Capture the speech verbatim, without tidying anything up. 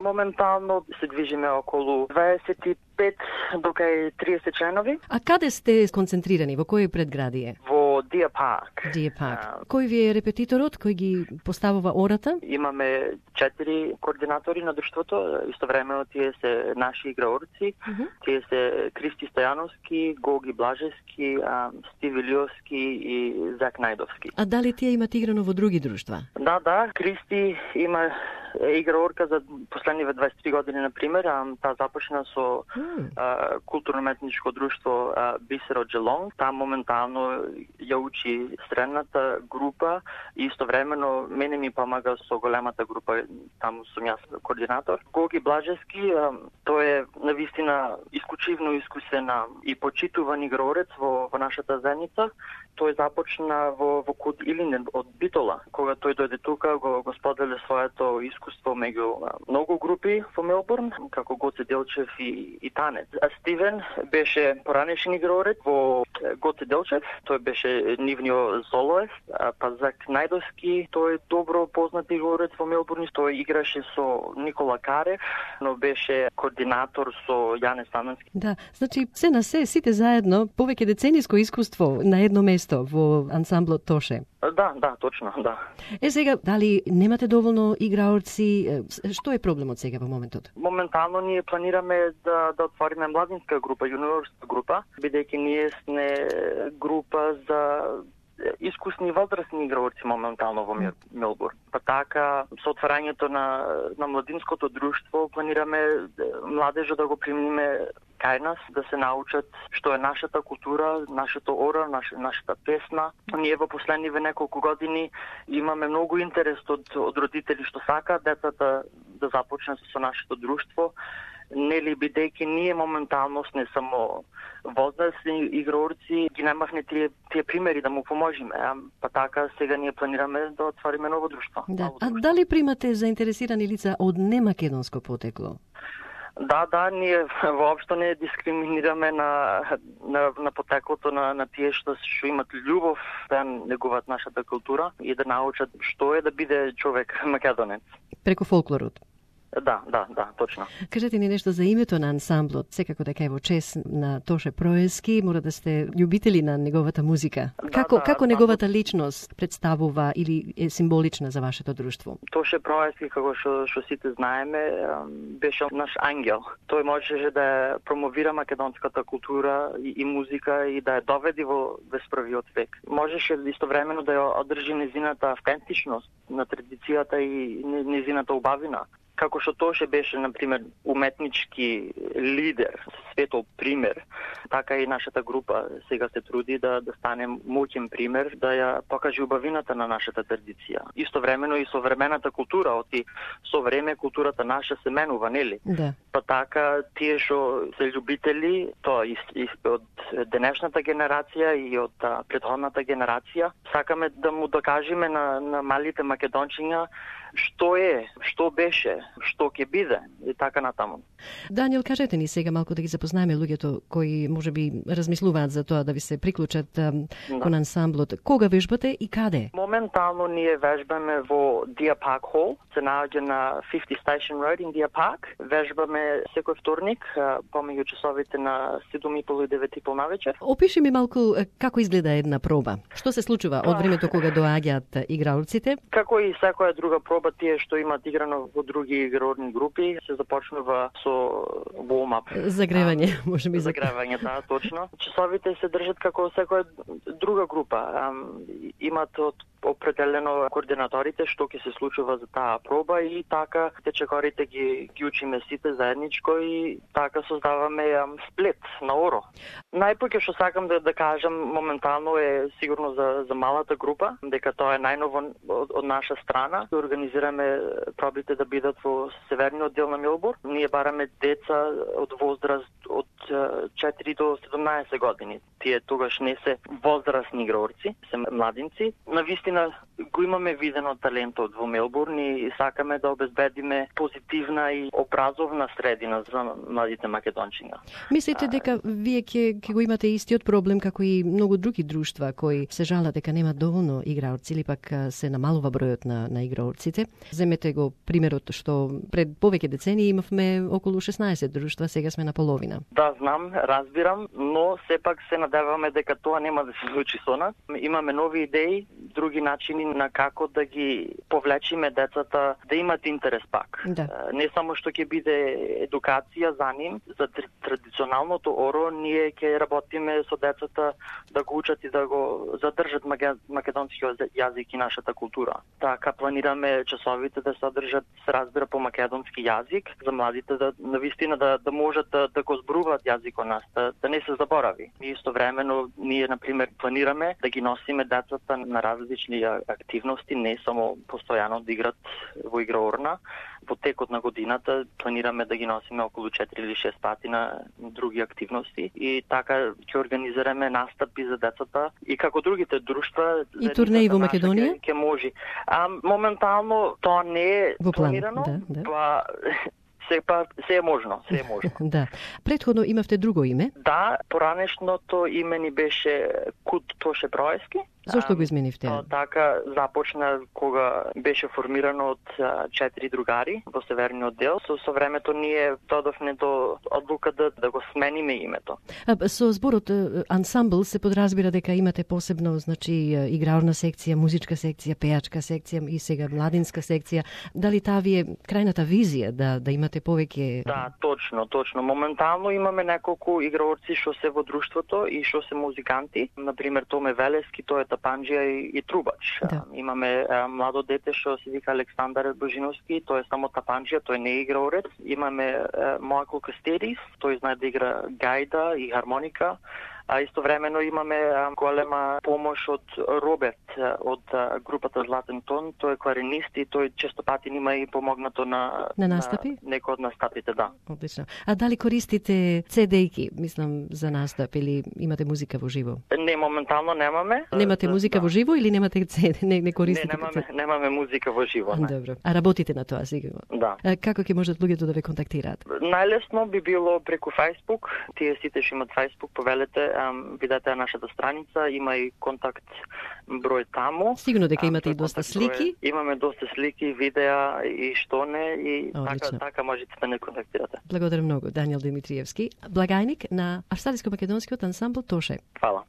Моментално се движиме околу дваесет и пет до кај триесет членови. А каде сте сконцентрирани? Во кој предградие? Во Deer Park. Deer Park. А... Кој ви е репетиторот? Кој ги поставува ората? Имаме четири координатори на друштвото. Истовремено тие се наши играорци. Uh-huh. Тие се Кристи Стојановски, Гоги Блажевски, Стиви Лиовски и Зак Најдовски. А дали тие имат играно во други друштва? Да, да. Кристи има играорка за последниве дваесет и три години, на пример. Таа започна со mm. културно-метничко друштво Бисер од Желонг. Таа моментално ја учи средната група и истовремено мене ми помага со големата група, таму сум јас координатор. Гоги Блажевски, тој е навистина исклучивно искусен и почитуван играорец во, во нашата заедница. Тој започна во, во Куд Илинен од Битола. Кога тој дојде тука, го, го споделе своето искуство меѓу многу групи во Мелбурн, како Гоце Делчев и, и Танец. А Стивен беше поранешен играорец во Гоце Делчев, тој беше нивниот солоест, па Зак Најдовски, тој е добро познат играорец во Мелбурн, тој играше со Никола Карев, но беше координатор со Јане Стаменски. Да, значи се на се, сите заедно, повеќе децениско искуство на едно место во ансамблот Тоше. Да, да, точно, да. Е, сега, дали немате доволно играорци? Што е проблемот сега во моментот? Моментално ние планираме да, да отвориме младинска група, јуниорска група, бидејќи ние сме група за искусни возрастни играорци моментално во Мелбурн. Па така, со отварањето на, на младинското друштво, планираме младежот да го примиме кај нас, да се научат што е нашата култура, нашето ора, наш, нашата песна. Ние во последниве неколку години имаме многу интерес од, од родители што сакаат децата да започнат со нашето друштво. Нели, бидејќи ние моментално сме само возрастни играорци, ги немавме тие, тие примери да му поможиме. Па така, сега ние планираме да отвориме ново друштво. Да. Ново друштво. А дали примате заинтересирани лица од немакедонско потекло? Да, да, ние воопшто не дискриминираме на, на, на потеклото на, на тие што, што имат љубов да негуваат нашата култура и да научат што е да биде човек македонец. Преку фолклорот? Да, да, да, точно. Кажете ни нешто за името на ансамблот. Секако дека е во чест на Тоше Проески, мора да сте љубители на неговата музика. Да, како да, како да, неговата личност представува или е символична за вашето друштво? Тоше Проески, како што што сите знаеме, беше наш ангел. Тој можеше да промовира македонската култура и, и музика и да ја доведи во дваесет век. Можеше истовремено да ја одржи незината автентичност на традицијата и незината убавина. Како што Тоше беше, например, уметнички лидер, светол пример, така и нашата група сега се труди да, да стане моќен пример, да ја покаже убавината на нашата традиција. Истовремено и современата култура, оти со време културата наша се менува, нели? Да. Па така, тие што се љубители, тоа и, и од денешната генерација и од а, претходната генерација, сакаме да му докажеме на, на малите македончиња што е, што беше, што ќе биде и така натаму. Даниел, кажете ни сега малку да ги запознаеме луѓето кои можеби размислуваат за тоа да ви се приклучат да. Кон ансамблот. Кога вежбате и каде? Моментално ние вежбаме во Deer Park Hall, се наоѓа на петдесет Station Road in Deer Park. Вежбаме секој вторник помеѓу часовите на седум и пол и девет и пол навечер. Опиши ми малку како изгледа една проба. Што се случува од времето кога доаѓаат играорците? Како и секоја друга проба, тие што имаат играно во други игрорни групи, се започнува со warm-up. Загревање, може би. Загревање, да, точно. Часовите се држат како секоја друга група. Имат од определено координаторите што ќе се случува за таа проба и така течекорите ги, ги учиме сите заедничко и така создаваме сплет на оро. Најпоќе што сакам да, да кажам моментално е сигурно за, за малата група, дека тоа е најново од, од наша страна. Организираме пробите да бидат во северниот дел на Мелбурн. Ние бараме деца од возраст од четири до седумнаесет години. Тие тогаш не се возрастни играорци, се младинци. Навистина го имаме видено талентот во Мелбурн и сакаме да обезбедиме позитивна и образовна средина за младите македончиња. Мислите дека вие ќе ќе го имате истиот проблем како и многу други друштва кои се жалат дека немаат доволно играорци или пак се намалува бројот на на играорците? Земете го примерот што пред повеќе децении имавме околу шеснаесет друштва, сега сме на половина. Да, знам, разбирам, но сепак се надеваме дека тоа нема да се случи со нас. Имаме нови идеи, други начини на како да ги повлечиме децата да имат интерес пак. Да. Не само што ќе биде едукација за нив, за традиционалното оро, ние ќе работиме со децата да го учат и да го задржат македонскиот јазик и нашата култура. Така планираме часовите да содржат се разбира по македонски јазик, за младите да навистина да да можат да, да го зборуваат јазикот нас, да, да не се заборави. И истовремено ние на пример планираме да ги носиме децата на различни активности, не само постојано да играт во играорна. Во текот на годината планираме да ги носиме околу четири или шест пати на други активности и така ќе организираме настапи за децата и како другите друштва и турнеи во Македонија ќе може. А моментално тоа не е планирано, да, да. Па се па се е можно, се е можно. Да. Предходно имавте друго име? Да, поранешното име ни беше Кут Тоше Проески. Зошто го изменивте? Тоа така започна кога беше формирано од четири другари во северниот дел. Со, со времето ние додовме до одлука да, да го смениме името. А, со зборот ансамбл се подразбира дека имате посебно, значи, играорна секција, музичка секција, пејачка секција и сега младинска секција. Дали таа ви е крајната визија да да имате повеќе? Да, точно, точно. Моментално имаме неколку играорци што се во друштвото и што се музиканти. Например, Томе Велески, тој е тапанџија и, и трубач. Да. Имаме а, младо дете што се вика Александар Божиновски, тој е само тапанџија, тој не е играорец. Имаме Моако Кастерис, тој знае да игра гајда и хармоника. А истовремено имаме а, голема помош од Роберт од а, групата Златен тон, тој е кларинист и тој често пати нима и помогнато на на настапи, на некои од настапите, да. Одлично. А дали користите си ди-ки, мислам, за настап или имате музика во живо? Не, моментално немаме. Немате да, музика да. во живо или немате си ди, не не користите? Не, немаме, немаме музика во живо, не. Добро. А работите на тоа сигурно? Да. А, како ќе можат луѓето да ве контактираат? Најлесно би било преку Facebook. Тие сите што имат Facebook, повелете, ам, видете нашата страница, има и контакт број таму. Сигурно дека имате и доста слики. Број, имаме доста слики, видеа и што не и Одлично. така така можете да не контактирате. Благодарам многу, Даниел Димитриевски, благајник на австралиско-македонскиот ансамбл Тоше. Фала.